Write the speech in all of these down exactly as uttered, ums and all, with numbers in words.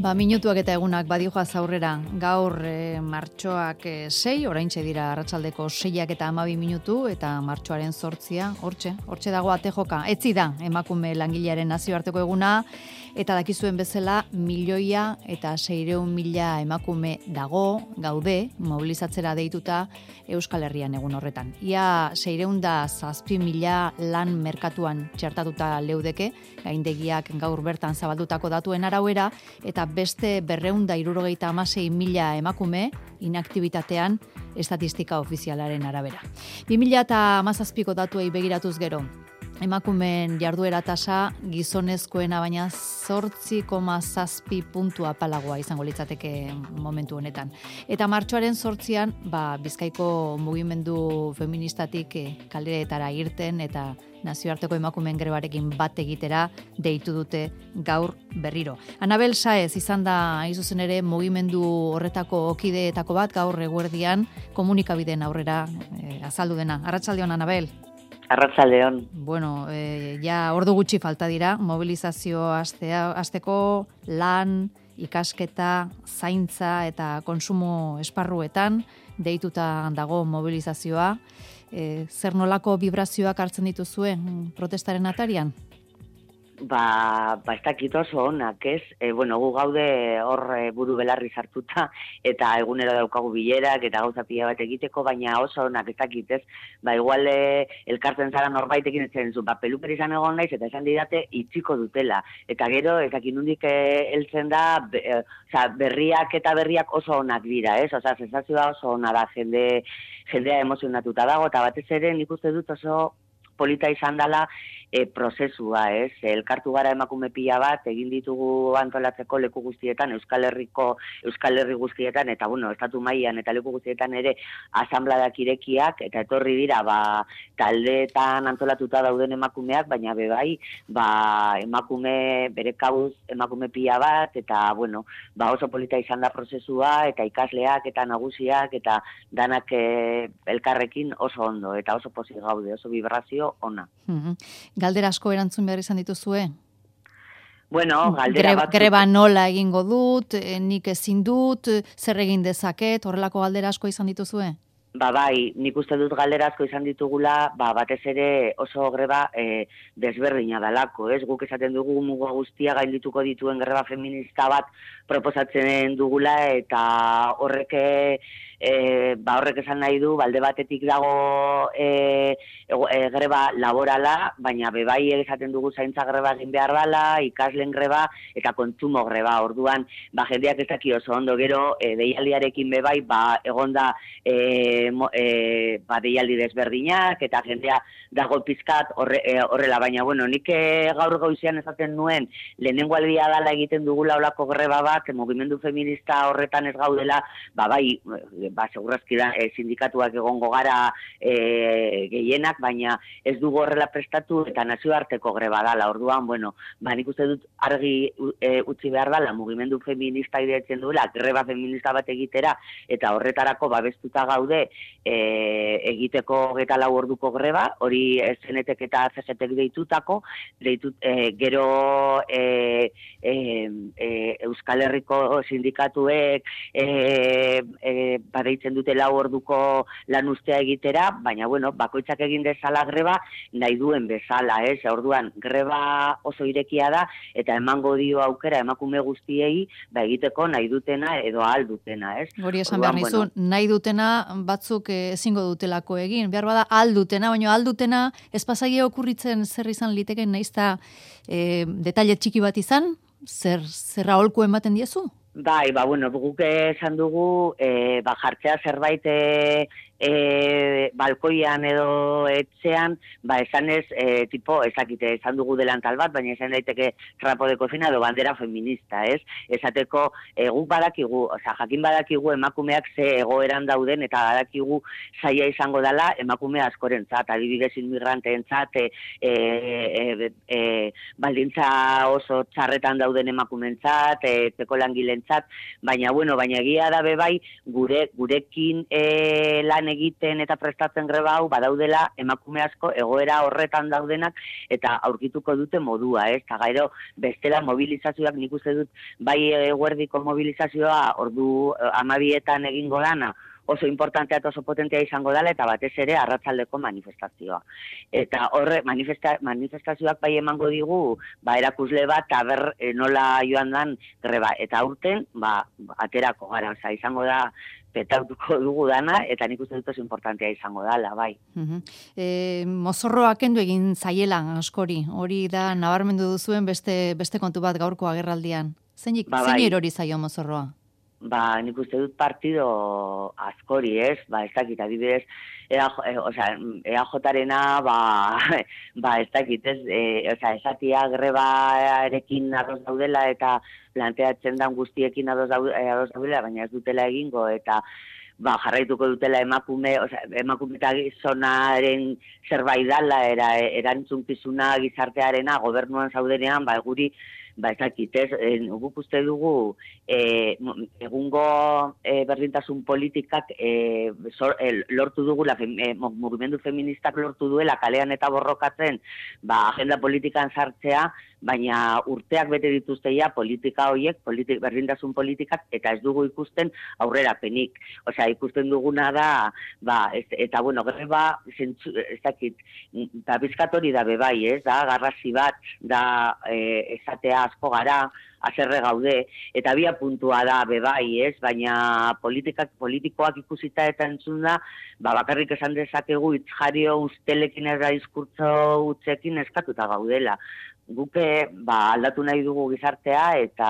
Ba, minutuak eta egunak badioaz aurrera, gaur e, martxoak e, sei, oraintxe dira arratsaldeko seiak eta hamabi minutu, eta martxoaren zortzia, hortxe, hortxe dago ate joka, etzi da, emakume langilearen nazioarteko eguna, eta dakizuen bezala, milioia eta seireun mila emakume dago, gaude, mobilizatzera deituta Euskal Herrian egun horretan. Ia seireun da zazpi mila lan merkatuan txertatuta leudeke, gaindegiak gaur bertan zabaldutako datuen arauera, eta beste berreunda irurogeita amasei mila emakume inaktibitatean estatistika ofizialaren arabera. bi mila hamazazpiko datuei begiratuz gero, emakumeen jarduera tasa gizonezkoena baina zortzi koma zazpi puntu apalagoa izango litzateke momentu honetan. Eta martxoaren zortzian, ba, Bizkaiko mugimendu feministatik eh, kaleretara irten eta nazioarteko emakumeen grebarekin bat egitera deitu dute gaur berriro. Anabel Saez izan da hain zuzen ere mugimendu horretako kideetako bat gaur eguerdian komunikabideen aurrera eh, azaldu dena. Arratsaldeon, Anabel. Arratsaldeon. Bueno, eh, ja ordu gutxi falta dira, mobilizazio astea, asteko lan, ikasketa, zaintza eta konsumo esparruetan deituta dago mobilizazioa. E, zer nolako vibrazioak hartzen dituzue protestaren atarian? Ba, ba ez dakit oso onak, ez? E, bueno, gu gaude hor e, buru belarri sartuta, eta egunero daukagu bilerak, eta gauza pila bat egiteko, baina oso onak, ez dakit, ez? Ba, igual e, elkartzen zara norbaitekin ez zen zu, ba, peluper izan egon naiz, eta esan didate itxiko dutela. Eta gero, ez dakit nundik e, heltzen da, be, e, oza, berriak eta berriak oso onak dira, ez? Oza, sensazioa oso ona da, jende, jendea emozionatuta dago, eta batez ere nik uste dut oso polita izan dela e, prozesua, ez? Elkartu gara emakume pila bat, egin ditugu antolatzeko leku guztietan, Euskal Herriko, Euskal Herri guztietan, eta bueno, estatu mailan eta leku guztietan ere asanbladak irekiak, eta etorri dira, ba, taldeetan antolatuta dauden emakumeak, baina bebai, ba, emakume, bere kabuz, emakume pila bat, eta bueno, ba, oso polita izan da prozesua, eta ikasleak, eta nagusiak, eta danak e, elkarrekin oso ondo, eta oso pozik gaude, oso vibrazio ona. Mm-hmm. Galdera asko erantzun behar izan dituzue? Bueno, galdera greba, bat... greba nola egingo dut, nik ezin dut, zer egin dezaket, horrelako galdera asko izan dituzue? Ba bai, nik uste dut galdera asko izan ditugula, ba batez ere oso greba e, desberdina dalako, ez? Guk esaten dugu muga guztia gaindituko dituen greba feminista bat proposatzen dugula, eta horrek e, ba horrek esan nahi du, balde batetik dago e, e, greba laborala, baina bebai esaten dugu zaintza greba egin behar dela, ikaslen greba eta kontsumo greba. Orduan, ba jendeak ez daki oso ondo, gero e, deialdiarekin bebai, ba egonda e, mo, e, ba deialdi desberdinak eta jendea dago pizkat horre, e, horrela, baina bueno, nik e, gaur goizean esaten nuen lehenengo aldia dala egiten dugula olako greba bat, mugimendu feminista horretan ez gaudela, ba bai, ba segurazki da e, sindikatuak egongo gara e, gehienak, baina ez dugu horrela prestatu eta nazioarteko greba dala. Orduan, bueno, ba nik uste dut argi e, utzi behar dala mugimendu feminista ideatzen duela greba feminista bat egitera, eta horretarako babestuta gaude e, egiteko hogeita lau orduko greba, hori S N T K eta C G T deitutako, deitut, e, gero e, e, e, Euskal Herriko sindikatuek e, e, badeitzen dute lau orduko lan ustea egitera, baina bueno, bakoitzak egin dezala greba nahi duen bezala, ez? Orduan, greba oso irekia da, eta emango dio aukera emakume guztiei ba egiteko nahi dutena edo ahal dutena, ez? Hori esan behar nizu, bueno, nahi dutena batzuk ezingo dutelako egin, behar bada aldutena, baina aldutena ez pasaia okurritzen zer izan liteken naizta e, detaile txiki bat izan, zer, zer aholku ematen diezu? Bai, ba, bueno, guk esan dugu, e, ba, jartzea zerbait e, e, balkoian edo etxean, ba, esan ez, e, tipo, ezakite, esan dugu delantal bat, baina esan daiteke trapo de cocina edo bandera feminista, ez? Esateko, e, guk badakigu, oza, jakin badakigu emakumeak ze egoeran dauden, eta badakigu zaila izango dela emakume askorentzat, adibidez inmigranteentzat, e, e, e, baldintza oso txarretan dauden emakumeentzat, e, teko langileen baina bueno, baina egia da bebai gure gurekin e, lan egiten eta prestatzen aurten greba hau badaudela emakume asko egoera horretan daudenak eta aurkituko dute modua, ez? Eta gero bestela mobilizazioak nik uste dut bai eguerdiko mobilizazioa ordu amabietan egingo dana, oso importantea eta oso potentea izango dela, eta batez ere arratsaldeko manifestazioa. Eta horre, manifesta, manifestazioak bai emango digu, ba, erakusle bat, aber e, nola joan dan greba. Eta aurten, ba, aterako gara, oza, izango da, petautuko dugu dana, eta nik uste dut oso importantea izango dela, bai. Uh-huh. E, mozorroa kendu egin zaiela askori, hori da nabarmendu duzuen beste, beste kontu bat gaurko agerraldian. Zein, ba, bai. Zein erori zaio mozorroa? Ba, nik uste dut partido askori, ez? Ba, ez dakit, adibidez, E A J-arena, ba, ba, ez dakit, ez? E, oza, esatia grebarekin ados daudela eta planteatzen dan guztiekin ados daudela, baina ez dutela egingo, eta ba, jarraituko dutela emakume, oza, emakume eta gizonaren zerbait dala, era, erantzunkizuna gizartearena, gobernuan zaudenean, ba, guri, ba, ez dakit, ez, guk uste dugu, e, egungo e, berdintasun politikak e, zor, e, lortu dugu, la, e, mugimendu feministak lortu duela, kalean eta borrokatzen, ba, agenda politikan sartzea, baina urteak bete dituzteia politika horiek, politik, berdintasun politikak, eta ez dugu ikusten aurrerapenik. Osea, ikusten duguna da, ba, ez, eta bueno, greba, zentzu, ez dakit, eta bizkatori da bebai, ez, da, garrasi bat, da, e, esatea asko gara, azerre gaude, eta bia puntua da bebai, ez, baina politikak, politikoak ikusita eta entzun da, ba, bakarrik esan dezakegu itzjario ustelekin eta diskurtso utzekin eskatuta gaudela. Guke ba, aldatu nahi dugu gizartea eta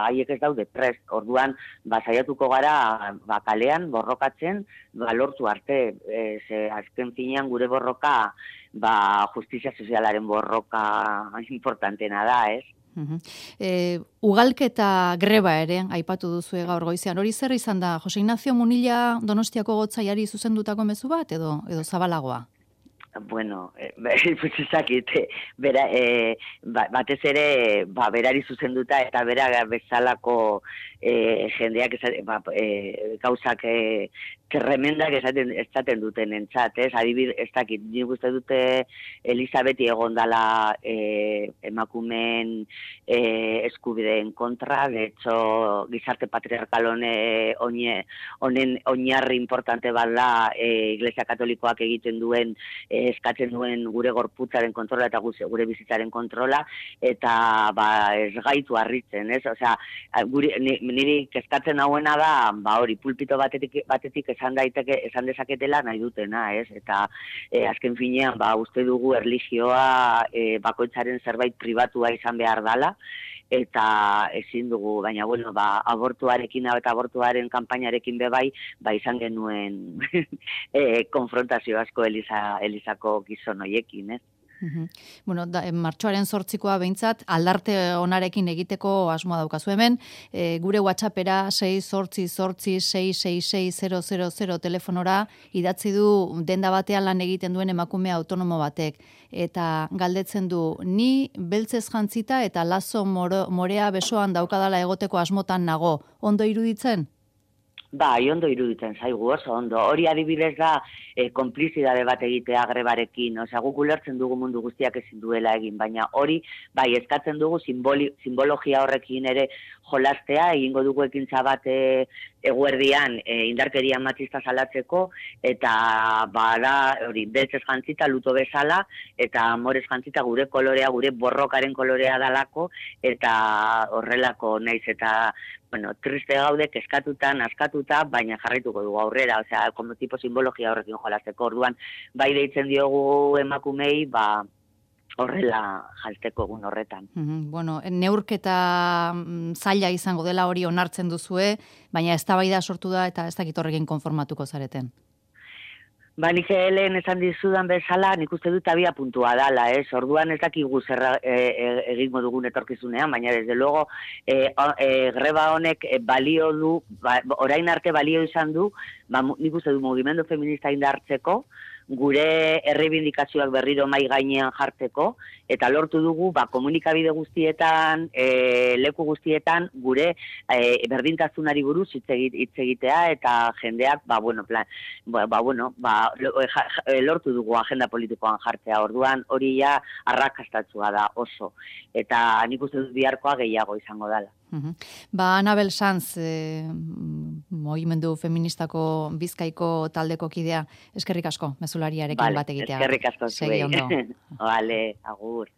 haiek ez daude prest. Orduan, ba, saiatuko gara ba, kalean, borrokatzen, ba, lortu arte. E, ze, azken finean gure borroka ba, justizia sozialaren borroka importantena da, ez? Uh-huh. E, ugalketa greba ere, aipatu duzu gaur goizean. Hori zer izan da, Jose Ignacio Munilla Donostiako gotzaiari zuzendutako mezu bat edo edo zabalagoa? Bueno, eh, pues ezakite, bera, eh, batez ere, ba, berari zuzenduta eta bera bezalako eh, jendeak esaten, ba, eh, gauzak eh, tremendak esaten, esaten duten entzat, ez? Adibid, ez dakit, nik uste dute Elizabeti egon dala eh, emakumen eh, eskubideen kontra, de hecho, gizarte patriarkal hone, honen oinarri importante bala eh, Iglesia Katolikoak egiten duen eh, eskatzen duen gure gorputzaren kontrola eta gure bizitzaren kontrola, eta ba, ez gaitu harritzen, ez? Osea, guri, niri kezkatzen hauena da, ba hori, pulpito batetik, batetik esan daiteke, esan dezaketela nahi dutena, ez? Eta e, azken finean, ba, uste dugu erlijioa e, bakoitzaren zerbait pribatua izan behar dala, eta ezin dugu, baina bueno, ba, abortuarekin eta abortuaren kanpainarekin bebai, ba izan genuen e, konfrontazio asko Eliza, Elizako gizon hoiekin, ez? Uh-huh. Bueno, da, martxoaren zortzikoa behintzat, aldarte onarekin egiteko asmoa daukazu hemen, e, gure WhatsAppera sei zortzi zortzi sei sei sei zero zero zero telefonora idatzi du denda batean lan egiten duen emakume autonomo batek, eta galdetzen du, ni beltzez jantzita eta lazo moro, morea besoan daukadala egoteko asmotan nago, ondo iruditzen? Bai, ondo iruditzen zaigu oso ondo. Hori adibidez da e, konplizidade bat egitea grebarekin. Osea, guk ulertzen dugu mundu guztiak ezin duela egin, baina hori bai eskatzen dugu simboli, simbologia horrekin ere jolastea, egingo dugu ekintza bat e, eguerdian e, indarkeria matxista salatzeko, eta bada hori beltzez jantzita luto bezala, eta amorez jantzita gure kolorea, gure borrokaren kolorea dalako, eta horrelako naiz eta bueno, triste gaude, eskatuta, naskatuta, baina jarraituko dugu aurrera, osea, como tipo simbologia horrekin jolasteko. Orduan, bai deitzen diogu emakumei, ba, horrela jalteko egun horretan. Mm-hmm. Bueno, neurketa zaila izango dela hori onartzen duzue, baina eztabaida sortu da eta ez dakit horrekin konformatuko zareten. Ba, nik lehen esan dizudan bezala, nik uste dut abia puntua dala, ez? Orduan ez dakigu zer e, e, egingo dugun etorkizunean, baina desde luego e, e, greba honek balio du, ba, orain arte balio izan du, ba, nik uste du mugimendu feminista indartzeko, gure errebindikazioak berriro mai gainean jartzeko, eta lortu dugu, ba, komunikabide guztietan, e, leku guztietan, gure e, berdintasunari buruz hitz egitea, eta jendeak, ba, bueno, plan, ba, ba, bueno, ba, lortu dugu agenda politikoan jartzea, orduan hori ja arrakastatzua da oso, eta nik uste dut biharkoa gehiago izango dela. Uhum. Ba, Anabel Sanz, eh, mogimendu feministako Bizkaiko taldeko kidea, eskerrik asko, mezulariarekin vale, bat egitea. Eskerrik asko zuei. Segi ondo. Vale, agur.